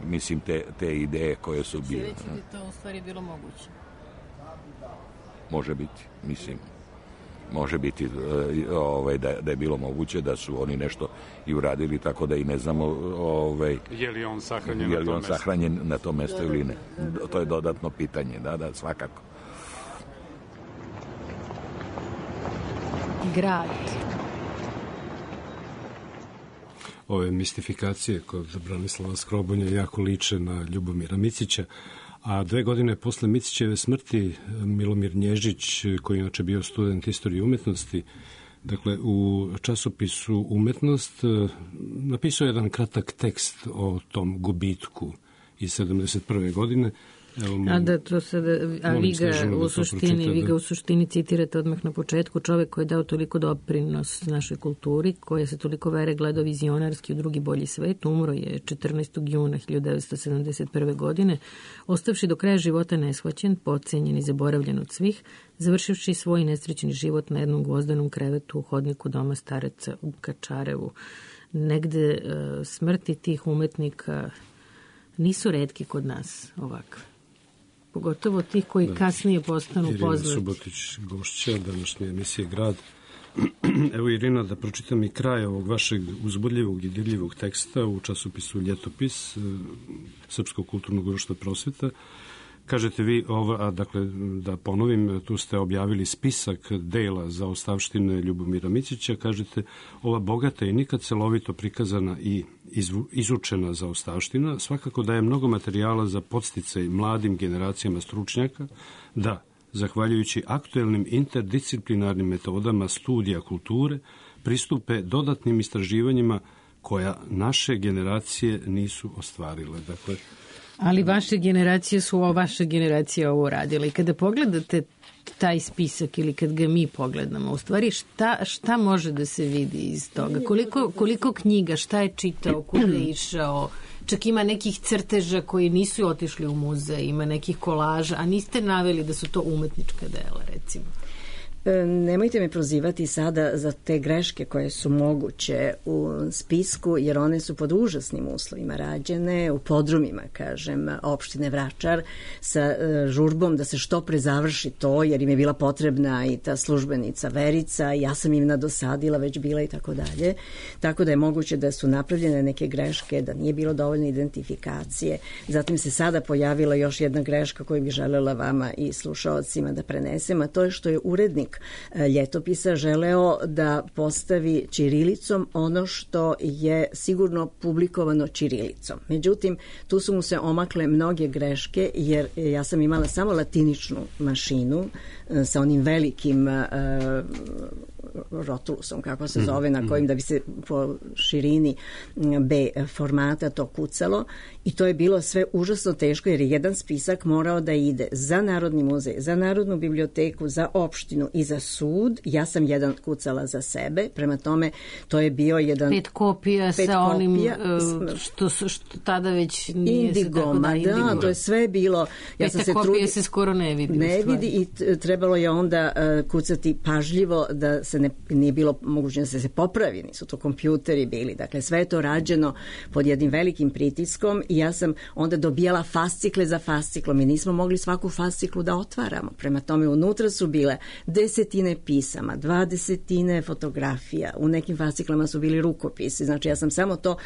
mislim, te ideje koje su bile. Će reći da to u stvari bilo moguće? Može biti, mislim. Može biti da je bilo moguće da su oni nešto i uradili, tako da i ne znamo je li on sahranjen na tom mestu ili ne. To je dodatno pitanje, da, svakako. Grad. Ove mistifikacije kod Branislava Skrobonja jako liče na Ljubomira Micića, a 2 godine posle Micićeve smrti Milomir Nježić, koji inače bio student istorije umetnosti, dakle u časopisu Umetnost napisao jedan kratak tekst o tom gubitku iz 71. godine. Vi ga u suštini citirate odmah na početku. Čovek koji je dao toliko doprinos našoj kulturi, koji se toliko vere gledao vizionarski u drugi bolji svet, umro je 14. juna 1971. godine, ostavši do kraja života neshvaćen, podcenjen i zaboravljen od svih, završivši svoj nesrećni život na jednom gvozdanom krevetu u hodniku doma stareca u Kačarevu. Negde smrti tih umetnika nisu retki kod nas ovakve. Pogotovo tih koji kasnije postanu poznati. Irina Subotić, gošća današnje emisije Grad. Evo, Irina, da pročitam i kraj ovog vašeg uzbudljivog i dirljivog teksta u časopisu Ljetopis Srpskog kulturnog društva Prosveta. Kažete vi, dakle, da ponovim, tu ste objavili spisak dela za ostavštine Ljubomira Micića. Kažete, ova bogata i nikad celovito prikazana i izučena za ostavština svakako daje mnogo materijala za podsticaj mladim generacijama stručnjaka da, zahvaljujući aktuelnim interdisciplinarnim metodama studija kulture, pristupe dodatnim istraživanjima koja naše generacije nisu ostvarile. Dakle, ali vaše generacije ovo radile. I kada pogledate taj spisak ili kad ga mi pogledamo, u stvari šta može da se vidi iz toga? Koliko knjiga, šta je čitao, kuda je išao? Čak ima nekih crteža koji nisu otišli u muzej, ima nekih kolaža, a niste naveli da su to umetnička dela, recimo. Nemojte me prozivati sada za te greške koje su moguće u spisku, jer one su pod užasnim uslovima rađene, u podrumima, kažem, opštine Vračar, sa žurbom da se što pre završi to, jer im je bila potrebna i ta službenica Verica, ja sam im nadosadila, već bila i tako dalje. Tako da je moguće da su napravljene neke greške, da nije bilo dovoljno identifikacije. Zatim se sada pojavila još jedna greška koju bih želela vama i slušaocima da prenesem, a to je što je urednik Ljetopisa želeo da postavi ćirilicom ono što je sigurno publikovano ćirilicom. Međutim, tu su mu se omakle mnoge greške, jer ja sam imala samo latiničnu mašinu sa onim velikim rotulusom, kako se zove, na kojim da bi se po širini B formata to kucalo, i to je bilo sve užasno teško, jer je jedan spisak morao da ide za Narodni muzej, za Narodnu biblioteku, za opštinu i za sud. Ja sam jedan kucala za sebe, prema tome to je bio jedan 5 kopija sa onim što tada već nije Indigoma, da, to je sve bilo. Ja sam se kopije se skoro ne vidi. Ne vidi i trebalo je onda kucati pažljivo da se nije bilo moguće da se popravi, nisu to kompjuteri bili. Dakle, sve je to rađeno pod jednim velikim pritiskom i ja sam onda dobijala fascikle za fasciklom i nismo mogli svaku fasciklu da otvaramo. Prema tome, unutra su bile 10 pisama, 20 fotografija, u nekim fasciklama su bili rukopisi. Znači, ja sam samo to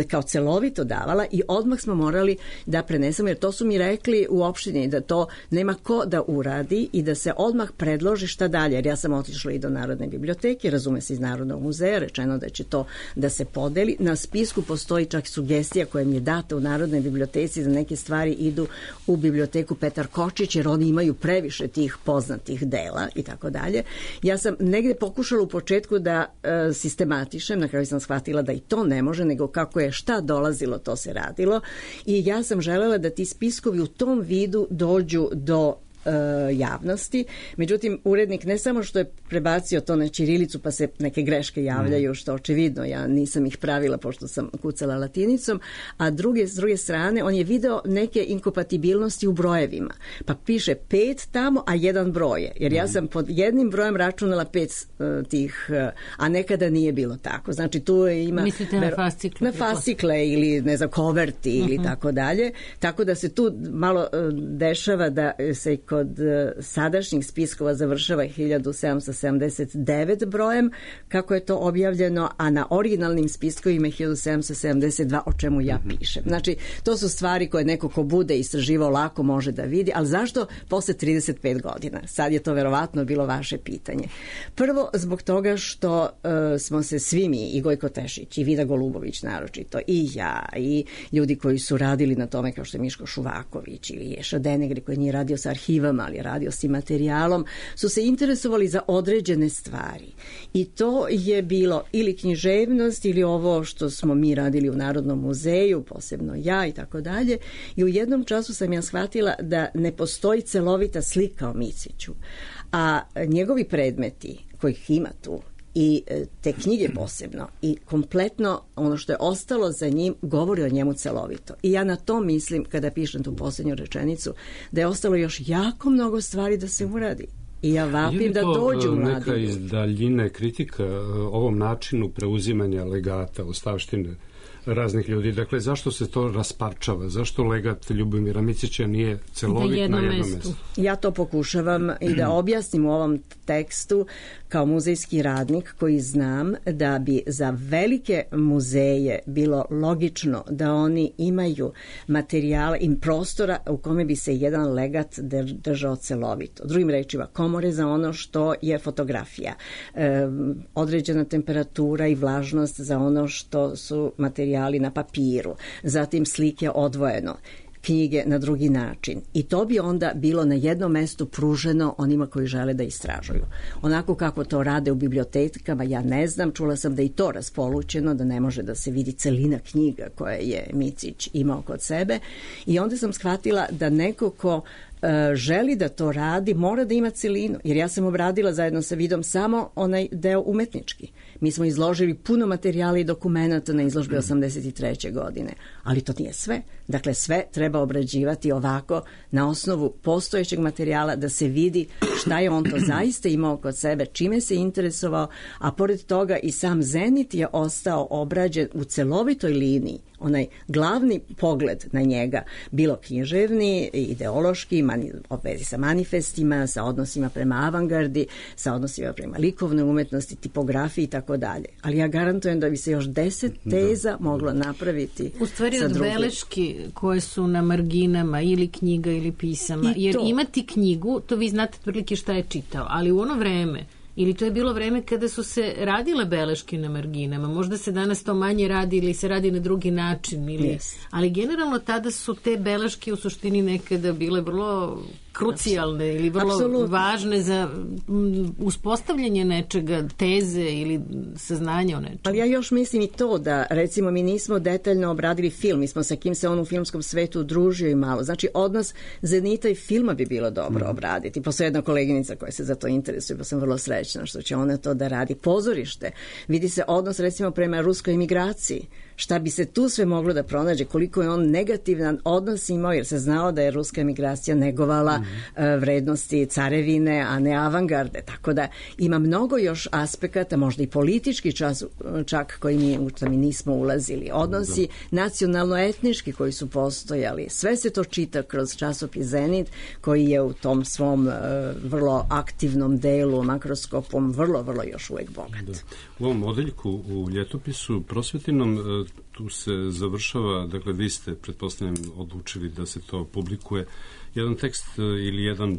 kao celovito davala i odmah smo morali da prenesemo, jer to su mi rekli u opštini da to nema ko da uradi i da se odmah predloži šta dalje, jer ja sam otišla i do Narodne biblioteke, razume se iz Narodnog muzeja, rečeno da će to da se podeli. Na spisku postoji čak sugestija koja mi je data u Narodnoj biblioteci da neke stvari idu u biblioteku Petar Kočić, jer oni imaju previše tih poznatih dela i tako dalje. Ja sam negde pokušala u početku da sistematišem, na kraju sam shvatila da i to ne može, nego kako je šta dolazilo, to se radilo, i ja sam želela da ti spiskovi u tom vidu dođu do javnosti. Međutim, urednik ne samo što je prebacio to na ćirilicu pa se neke greške javljaju, što očevidno ja nisam ih pravila pošto sam kucala latinicom, a s druge strane on je video neke inkompatibilnosti u brojevima. Pa piše 5 tamo, a 1 broj. Jer ja sam pod jednim brojem računala 5 tih, a nekada nije bilo tako. Znači tu ima... Mislite na fascikle? Na fascikle ili ne znam, koverti ili tako dalje. Tako da se tu malo dešava da se kod sadašnjih spiskova završava 1779 brojem, kako je to objavljeno, a na originalnim spiskovima 1772, o čemu ja pišem. Znači, to su stvari koje neko ko bude istraživao lako može da vidi, ali zašto posle 35 godina? Sad je to verovatno bilo vaše pitanje. Prvo, zbog toga što smo se svi mi, i Gojko Tešić, i Vida Golubović naročito, i ja, i ljudi koji su radili na tome, kao što je Miško Šuvaković ili Ješa Denegri, koji nije radio sa arhivama, ali radio s materijalom, su se interesovali za određene stvari. I to je bilo ili književnost ili ovo što smo mi radili u Narodnom muzeju, posebno ja i tako dalje. I u jednom času sam ja shvatila da ne postoji celovita slika o Miciću, a njegovi predmeti, kojih ima tu, i te knjige posebno i kompletno ono što je ostalo za njim govori o njemu celovito. I ja na to mislim kada pišem tu posljednju rečenicu, da je ostalo još jako mnogo stvari da se uradi. I ja vapim da dođu mladi. Neka iz daljine kritika ovom načinu preuzimanja legata, ostavštine raznih ljudi. Dakle, zašto se to rasparčava? Zašto legat Ljubomira Micića nije celovit na jednom mestu? Ja to pokušavam i da objasnim u ovom tekstu kao muzejski radnik koji znam da bi za velike muzeje bilo logično da oni imaju materijala i prostora u kome bi se jedan legat držao celovito. Drugim rečima, komore za ono što je fotografija, određena temperatura i vlažnost za ono što su materijali na papiru, zatim slike odvojeno, knjige na drugi način. I to bi onda bilo na jednom mestu pruženo onima koji žele da istražuju. Onako kako to rade u bibliotekama, ja ne znam, čula sam da i to raspolućeno, da ne može da se vidi celina knjiga koje je Micić imao kod sebe. I onda sam shvatila da neko ko želi da to radi, mora da ima celinu. Jer ja sam obradila zajedno sa Vidom samo onaj deo umetnički. Mi smo izložili puno materijala i dokumenata na izložbi 83. godine. Ali to nije sve. Dakle, sve treba obrađivati ovako na osnovu postojećeg materijala da se vidi šta je on to zaista imao kod sebe, čime se interesovao, a pored toga i sam Zenit je ostao obrađen u celovitoj liniji. Onaj glavni pogled na njega, bilo književni, ideološki, u vezi sa manifestima, sa odnosima prema avangardi, sa odnosima prema likovnoj umetnosti, tipografiji i tako dalje. Ali ja garantujem da bi se još 10 teza moglo napraviti. U stvari od beleški koje su na marginama ili knjiga ili pisama. Jer imati knjigu, to vi znate otprilike šta je čitao, ali u ono vreme, ili to je bilo vreme kada su se radile beleške na marginama. Možda se danas to manje radi ili se radi na drugi način. Ali generalno tada su te beleške u suštini nekada bile vrlo krucijalne ili vrlo važne za uspostavljanje nečega, teze ili saznanja o nečemu. Ali ja još mislim i to da, recimo, mi nismo detaljno obradili film, mi smo sa kim se on u filmskom svetu družio i malo. Znači, odnos Zenita i filma bi bilo dobro obraditi. Postoji jedna koleginica koja se za to interesuje, pa sam vrlo srećna što će ona to da radi. Pozorište, vidi se odnos, recimo, prema ruskoj emigraciji. Šta bi se tu sve moglo da pronađe, koliko je on negativan odnos imao, jer se znao da je ruska emigracija negovala vrednosti carevine, a ne avangarde. Tako da ima mnogo još aspekata, možda i politički čak koji mi nismo ulazili. Odnosi nacionalno-etnički koji su postojali. Sve se to čita kroz časopis Zenit, koji je u tom svom vrlo aktivnom delu, makroskopom, vrlo još uvek bogat. Da. U ovom odeljku u ljetopisu prosvetinom tu se završava, dakle vi ste, pretpostavljam, odlučili da se to publikuje, jedan tekst ili jedan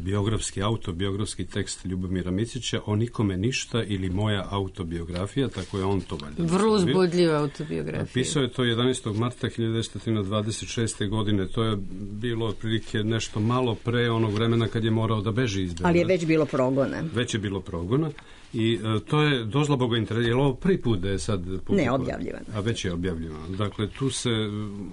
autobiografski tekst Ljubomira Micića, O nikome ništa ili moja autobiografija, tako je on to valjda. Vrlo uzbudljiva autobiografija. Pisao je to 11. marta 1926. godine, to je bilo otprilike nešto malo pre onog vremena kad je morao da beži iz Beograda. Ali je već bilo progona. Već je bilo progona. I to je dozlaboga interesa. Je li ovo prvi put da je sad publikovan? Ne, objavljivano. A već je objavljivano. Dakle,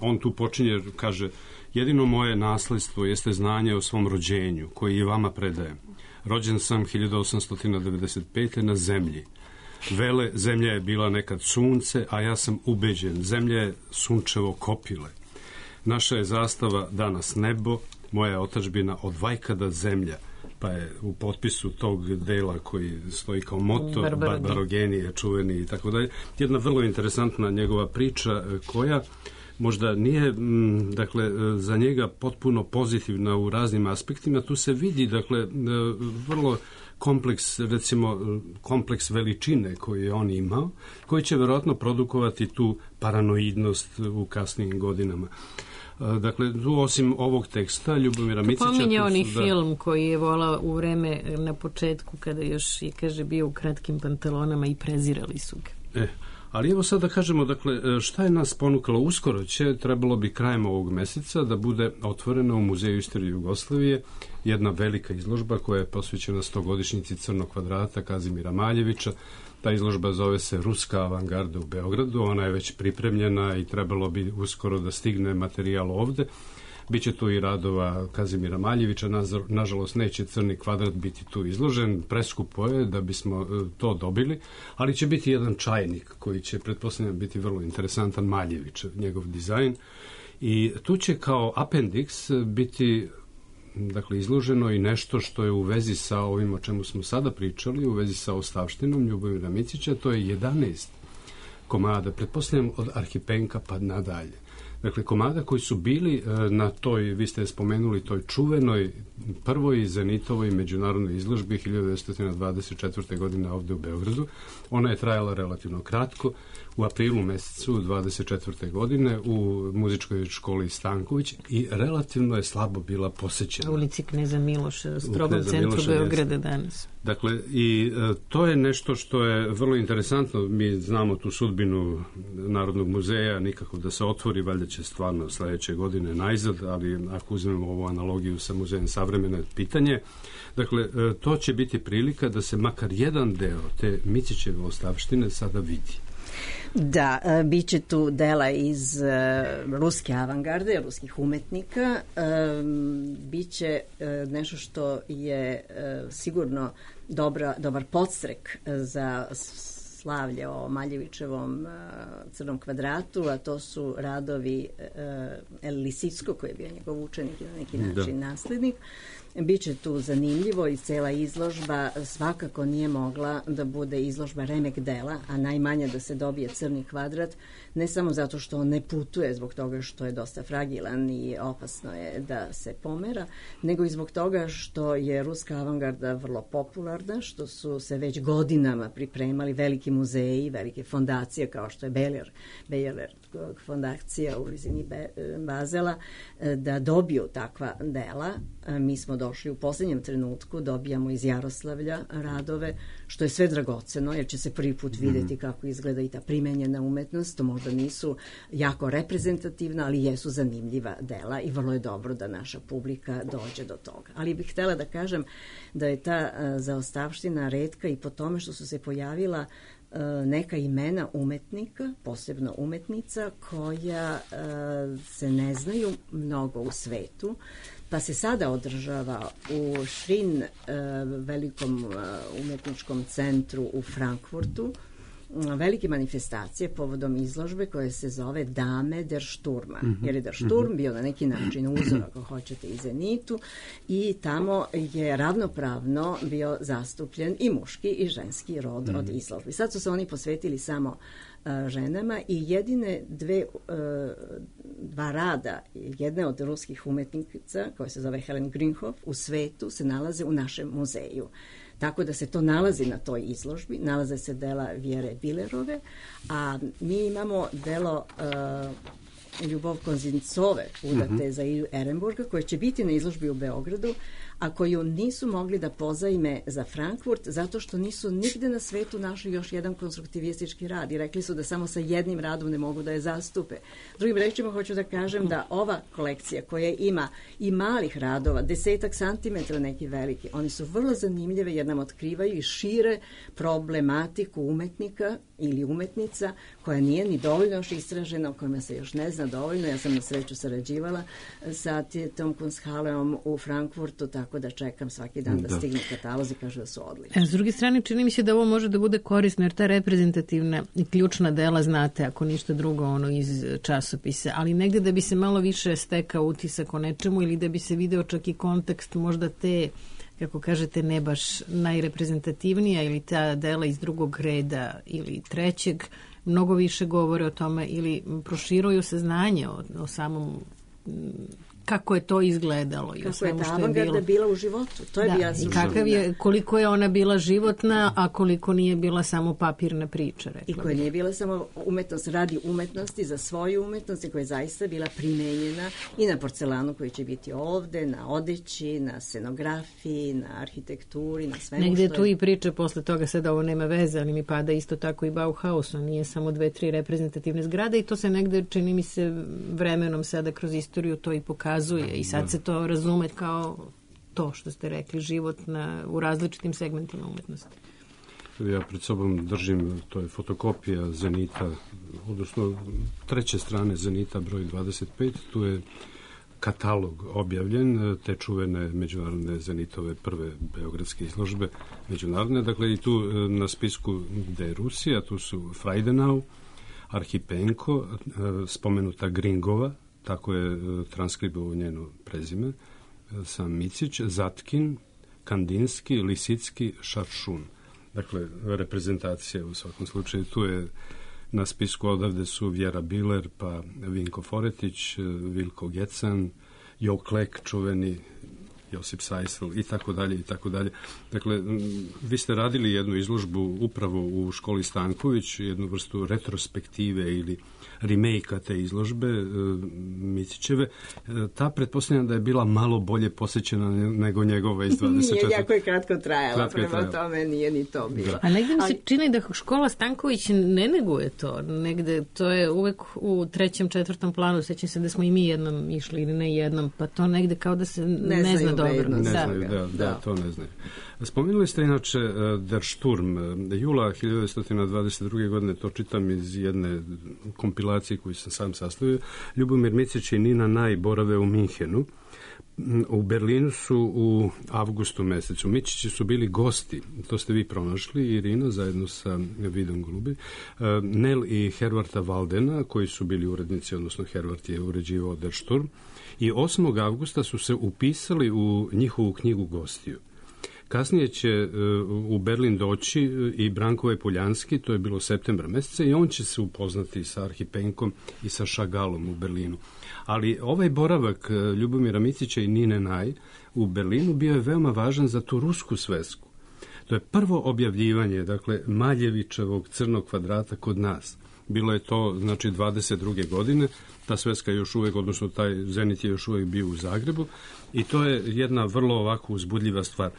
on tu počinje, kaže, Jedino moje nasledstvo jeste znanje o svom rođenju, koji i vama predajem. Rođen sam 1895. na zemlji. Vele, zemlja je bila nekad sunce, a ja sam ubeđen, zemlja je sunčevo kopile. Naša je zastava danas nebo, moja je otadžbina od vajkada zemlja, pa je u potpisu tog dela koji stoji kao moto Barbarogenije, čuveni i tako dalje. Jedna vrlo interesantna njegova priča koja možda nije, dakle, za njega potpuno pozitivna u raznim aspektima. Tu se vidi, dakle, vrlo kompleks, recimo, kompleks veličine koji je on imao, koji će verovatno produkovati tu paranoidnost u kasnijim godinama. Dakle, tu osim ovog teksta Ljubomira Micića... Pominje oni film koji je volao u vreme na početku kada još je, kaže, bio u kratkim pantalonama i prezirali su ga. Ali evo sad da kažemo, dakle, šta je nas ponukalo? Uskoro trebalo bi krajem ovog meseca da bude otvorena u Muzeju istorije Jugoslavije jedna velika izložba koja je posvećena 100-godišnjici Crnog kvadrata Kazimira Maljevića. Ta izložba zove se Ruska avangarda u Beogradu, ona je već pripremljena i trebalo bi uskoro da stigne materijal ovde. Biće tu i radova Kazimira Maljevića, nažalost neće Crni kvadrat biti tu izložen, preskupo je da bismo to dobili, ali će biti jedan čajnik koji će, pretpostavljam, biti vrlo interesantan, Maljević, njegov dizajn. I tu će kao apendiks biti, dakle, izloženo i nešto što je u vezi sa ovim o čemu smo sada pričali, u vezi sa ostavštinom Ljubomira Micića, to je 11 komada, pretpostavljam od Arhipenka pa nadalje. Dakle, komada koji su bili na toj, vi ste spomenuli, toj čuvenoj prvoj Zenitovoj međunarodnoj izložbi 1924. godine ovde u Beogradu. Ona je trajala relativno kratko. U aprilu mesecu 24. godine u muzičkoj školi Stanković i relativno je slabo bila posećena. U ulici Kneza Miloša, strogom centru Beograda danas. Dakle, i to je nešto što je vrlo interesantno. Mi znamo tu sudbinu Narodnog muzeja, nikako da se otvori, valjda će stvarno sledeće godine najzad, ali ako uzmemo ovu analogiju sa muzejem savremene, pitanje. Dakle, to će biti prilika da se makar jedan deo te Micićeve ostavštine sada vidi. Da, bit će tu dela iz ruske avangarde, ruskih umetnika, bit će nešto što je sigurno dobar podstrek za slavlje o Maljevićevom Crnom kvadratu, a to su radovi El Lisicko, koji je bio njegov učenik i na neki način naslednik. Biće tu zanimljivo i cela izložba svakako nije mogla da bude izložba remek dela, a najmanje da se dobije Crni kvadrat, ne samo zato što on ne putuje zbog toga što je dosta fragilan i opasno je da se pomera, nego i zbog toga što je ruska avangarda vrlo popularna, što su se već godinama pripremali veliki muzeji, velike fondacije kao što je Bejeler fondacija u blizini Bazela, da dobiju takva dela. Mi smo došli u poslednjem trenutku, dobijamo iz Jaroslavlja radove, što je sve dragoceno, jer će se prvi put videti kako izgleda i ta primenjena umetnost. To možda nisu jako reprezentativna, ali jesu zanimljiva dela i vrlo je dobro da naša publika dođe do toga. Ali bih htela da kažem da je ta zaostavština retka i po tome što su se pojavila neka imena umetnika, posebno umetnica, koja se ne znaju mnogo u svetu, pa se sada održava u Šrin, velikom umetničkom centru u Frankfurtu, velike manifestacije povodom izložbe koje se zove Dame der Sturma, jer je der Sturm bio na neki način uzor, ako hoćete, i Zenitu, i tamo je ravnopravno bio zastupljen i muški i ženski rod od izložbi. Sad su se oni posvetili samo ženama i jedine dva rada, jedne od ruskih umetnica, koja se zove Helen Grünhoff, u svetu se nalaze u našem muzeju. Tako da se to nalazi na toj izložbi, nalaze se dela Vjere Bilerove, a mi imamo delo Ljubov Konzincove, udate za Ilju Ehrenburga, koje će biti na izložbi u Beogradu, a koju nisu mogli da pozajme za Frankfurt, zato što nisu nigde na svetu našli još jedan konstruktivistički rad i rekli su da samo sa jednim radom ne mogu da je zastupe. Drugim rečima hoću da kažem da ova kolekcija koja ima i malih radova, 10 santimetra neki veliki, oni su vrlo zanimljive jer nam otkrivaju i šire problematiku umetnika ili umetnica koja nije ni dovoljno još istražena, o kojima se još ne zna dovoljno. Ja sam na sreću sarađivala sa tom Kunsthalleom u Frankfurtu, tako da čekam svaki dan da stigne katalozi, kažu da su odlični. S druge strane, čini mi se da ovo može da bude korisno, jer ta reprezentativna i ključna dela znate, ako ništa drugo, iz časopisa, ali negde da bi se malo više stekao utisak o nečemu ili da bi se video čak i kontekst možda te, kako kažete, ne baš najreprezentativnija ili ta dela iz drugog reda ili trećeg, mnogo više govore o tome ili proširuju saznanje o samom kako je to izgledalo i kako je ta avangarda bila u životu. To je bila suština. Koliko je ona bila životna, a koliko nije bila samo papirna priča. I koja nije bila samo umetnost radi umetnosti, za svoju umetnost, koja je zaista bila primenjena i na porcelanu koji će biti ovde, na odeći, na scenografiji, na arhitekturi, na svemu negde što je... tu i priče posle toga, sada ovo nema veze, ali mi pada isto tako i Bauhaus, on nije samo 2-3 reprezentativne zgrade i to se negde, čini mi se, vremenom sada kroz istoriju to i pokazuje i sad se to razume kao to što ste rekli, život u različitim segmentima umetnosti. Ja pred sobom držim, to je fotokopija Zenita, odnosno treće strane Zenita broj 25, tu je katalog objavljen, te čuvene međunarodne Zenitove prve beogradske izložbe međunarodne, dakle i tu na spisku gde je Rusija, tu su Frajdenau, Arhipenko, spomenuta Gringova, tako je transkribovao njeno prezime, sam Micić, Zatkin, Kandinski, Lisicki, Šaršun. Dakle, reprezentacija u svakom slučaju. Tu je na spisku odavde su Vjera Biler, pa Vinko Foretić, Vilko Gecan, Jo Klek, čuveni Josip Sajsel i tako dalje i tako dalje. Dakle, vi ste radili jednu izložbu upravo u školi Stanković, jednu vrstu retrospektive ili remake-a te izložbe Micićeve. Ta pretpostavljam da je bila malo bolje posjećena nego njegova iz 24. Nije, jako je kratko trajala, prema tome nije ni to bilo. Da. A negde mi se čini da škola Stanković ne neguje to. Negde to je uvek u 3., 4. planu. Sećam se da smo i mi jednom išli ili ne jednom, pa to negde kao da se ne zna dobro. Ne znaju, da, to ne znaju. Spomenuli ste inače Der Sturm. Jula 1922. godine, to čitam iz jedne kompilacije koju sam sam sastavio. Ljubomir Micić i Nina Naj borave u Minhenu. U Berlinu su u avgustu mesecu. Mičići su bili gosti, to ste vi pronašli, Irina, zajedno sa Vidom Golubi, Nel i Hervarta Valdena, koji su bili urednici, odnosno Hervart je uređivao Der Sturm, i 8. avgusta su se upisali u njihovu knjigu gostiju. Kasnije će u Berlin doći i Branko Poljanski, to je bilo septembra meseca, i on će se upoznati sa Arhipenkom i sa Šagalom u Berlinu. Ali ovaj boravak Ljubomira Micića i Nine Naj u Berlinu bio je veoma važan za tu rusku svesku. To je prvo objavljivanje, dakle, Maljevićevog crnog kvadrata kod nas. Bilo je to, znači, 22. godine, ta sveska još uvek, odnosno taj Zenit je još uvek bio u Zagrebu i to je jedna vrlo ovako uzbudljiva stvar.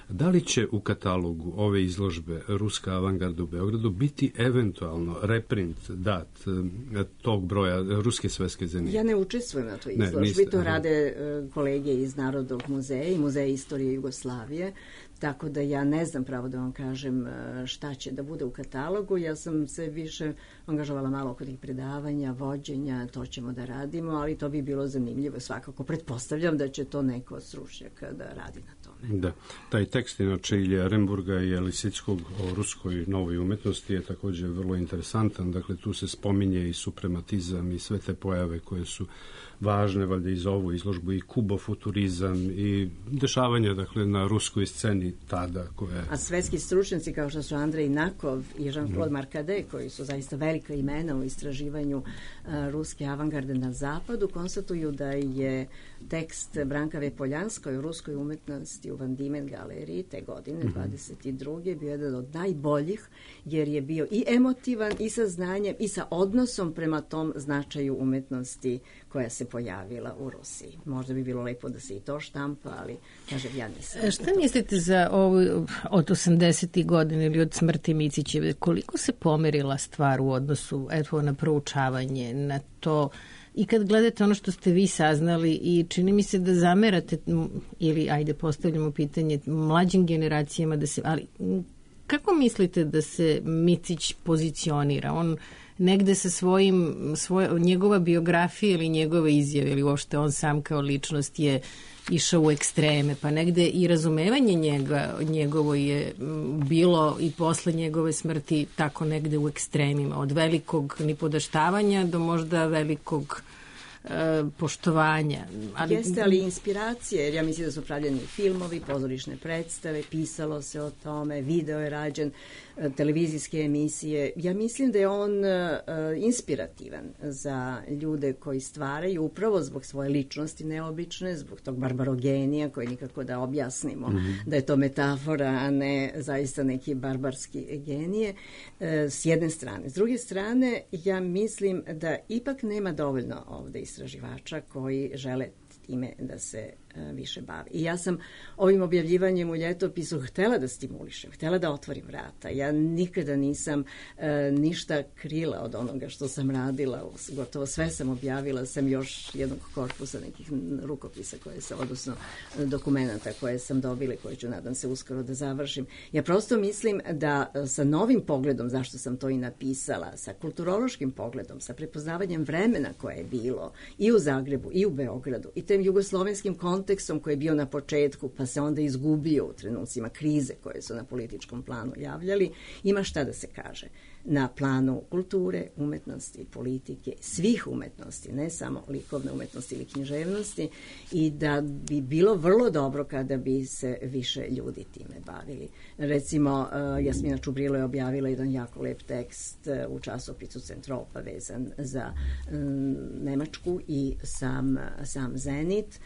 Da li će u katalogu ove izložbe Ruska avangarda u Beogradu biti eventualno reprint dat tog broja Ruske sveske Zenita? Ja ne učestvujem na toj izložbi, to rade kolege iz Narodnog muzeja i Muzeja istorije Jugoslavije, tako da ja ne znam pravo da vam kažem šta će da bude u katalogu. Ja sam se više angažovala malo oko tih predavanja, vođenja, to ćemo da radimo, ali to bi bilo zanimljivo svakako. Pretpostavljam da će to neko od stručnjaka da radi na tome. Da, taj tekst inače Ilije Remburga i Lisickog o ruskoj novoj umetnosti je također vrlo interesantan. Dakle, tu se spominje i suprematizam i sve te pojave koje su važne, valjda, i za ovu izložbu, i kubofuturizam i dešavanja, dakle, na ruskoj sceni tada koje... A svetski stručnjaci kao što su Andrej Nakov i Jean-Claude Marcadet, koji su zaista velika imena u istraživanju ruske avangarde na zapadu, konstatuju da je tekst Branka Poljanskoj o ruskoj umetnosti u Van Diemen galeriji te godine, 22. bio jedan od najboljih, jer je bio i emotivan i sa znanjem i sa odnosom prema tom značaju umetnosti koja se pojavila u Rusiji. Možda bi bilo lepo da se i to štampa, ali kažem, ja nisam. Šta mislite za ovo od 80. godina ili od smrti Micićeve? Koliko se pomerila stvar u odnosu na proučavanje, na to, i kad gledate ono što ste vi saznali, i čini mi se da zamerate, ili ajde postavljamo pitanje mlađim generacijama, da se, ali kako mislite da se Micić pozicionira? On negde sa njegova biografija ili njegove izjave ili uopšte on sam kao ličnost je išao u ekstreme, pa negde i razumevanje njegovo je bilo i posle njegove smrti tako negde u ekstremima, od velikog nipodaštavanja do možda velikog poštovanja. Jeste, ali inspiracije, jer ja mislim da su pravljeni filmovi, pozorišne predstave, pisalo se o tome, video je rađen, televizijske emisije. Ja mislim da je on inspirativan za ljude koji stvaraju upravo zbog svoje ličnosti neobične, zbog tog barbarogenija koji nikako da objasnimo da je to metafora, a ne zaista neki barbarski genije, s jedne strane. S druge strane, ja mislim da ipak nema dovoljno ovde istraživača koji žele time da se više bavi. I ja sam ovim objavljivanjem u ljetopisu htela da stimulišem, htela da otvorim vrata. Ja nikada nisam ništa krila od onoga što sam radila, gotovo sve sam objavila, sam još jednog korpusa nekih rukopisa koje sam, odnosno dokumenta koje sam dobila i koje ću, nadam se, uskoro da završim. Ja prosto mislim da sa novim pogledom, zašto sam to i napisala, sa kulturološkim pogledom, sa prepoznavanjem vremena koje je bilo i u Zagrebu i u Beogradu i tem jugoslovenskim kontekstom koji je bio na početku, pa se onda izgubio u trenucima krize koje su na političkom planu javljali, ima šta da se kaže. Na planu kulture, umetnosti, politike, svih umetnosti, ne samo likovne umetnosti ili književnosti, i da bi bilo vrlo dobro kada bi se više ljudi time bavili. Recimo, Jasmina Čubrilo je objavila jedan jako lep tekst u časopisu Centropa vezan za Nemačku i sam Zenit.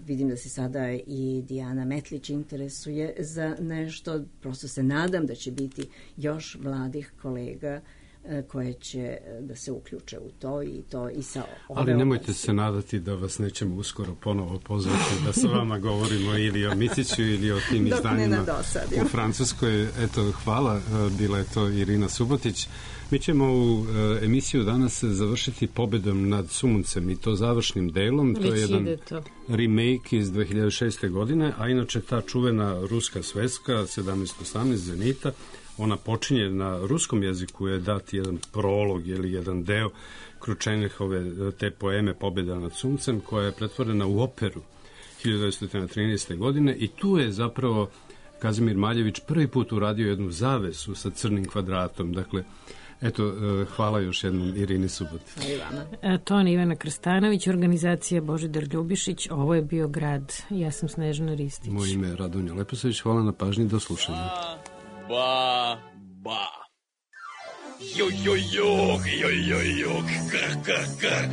Vidim da se sada i Dijana Metlić interesuje za nešto. Prosto se nadam da će biti još mladih kolega koje će da se uključe u to i sa ove. Ali nemojte se nadati da vas nećemo uskoro ponovo pozvati da sa vama govorimo ili o Miciću ili o tim izdanjima u Francuskoj. Eto, hvala, bila je to Irina Subotić. Mi ćemo u emisiju danas završiti pobedom nad Suncem i to završnim delom. To je jedan remake iz 2006. godine, a inače ta čuvena ruska sveska 1718 Zenita, ona počinje na ruskom jeziku, je dat jedan prolog ili jedan deo Kručenjehove te poeme Pobjeda nad Suncem, koja je pretvorena u operu 1913. godine i tu je zapravo Kazimir Maljević prvi put uradio jednu zavesu sa crnim kvadratom. Dakle, eto, hvala još jednom Irini Subotić. Ton Ivana Krstanović, organizacija Božidar Ljubišić, ovo je bio Grad. Ja sam Snežana Ristić. Moje ime je Radonja Leposavić, hvala na pažnji, do slušanja. Ba, ba. Jo, jo, jo, jo, jo, jo, kr, kr, kr.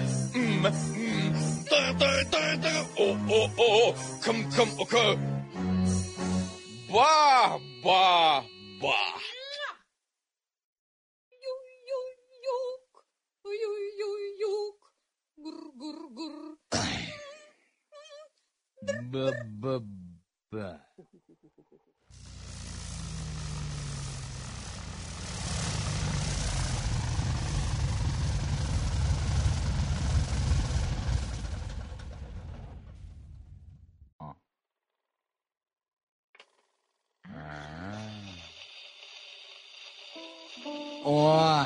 Da, o, kom, ok. Ba, ba, ba. Ba, ba, ba. О.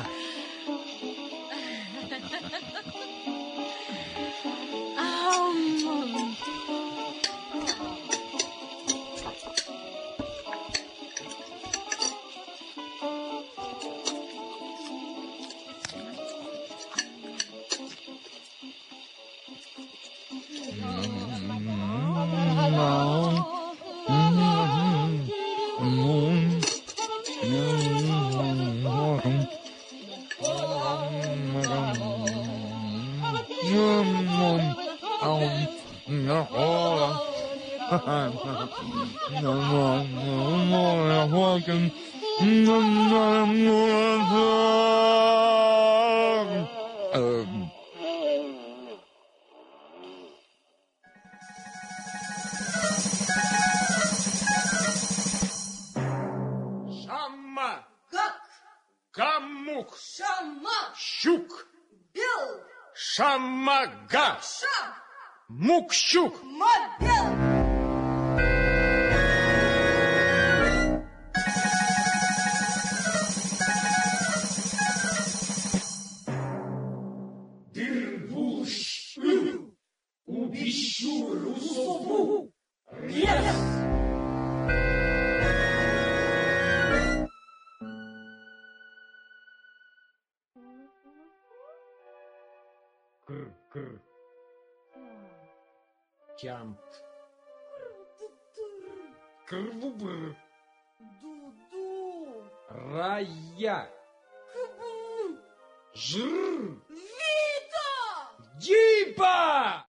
Шамага. Мукщук. Jump. Krvubr. Raya. Žr. Vito. Džipa.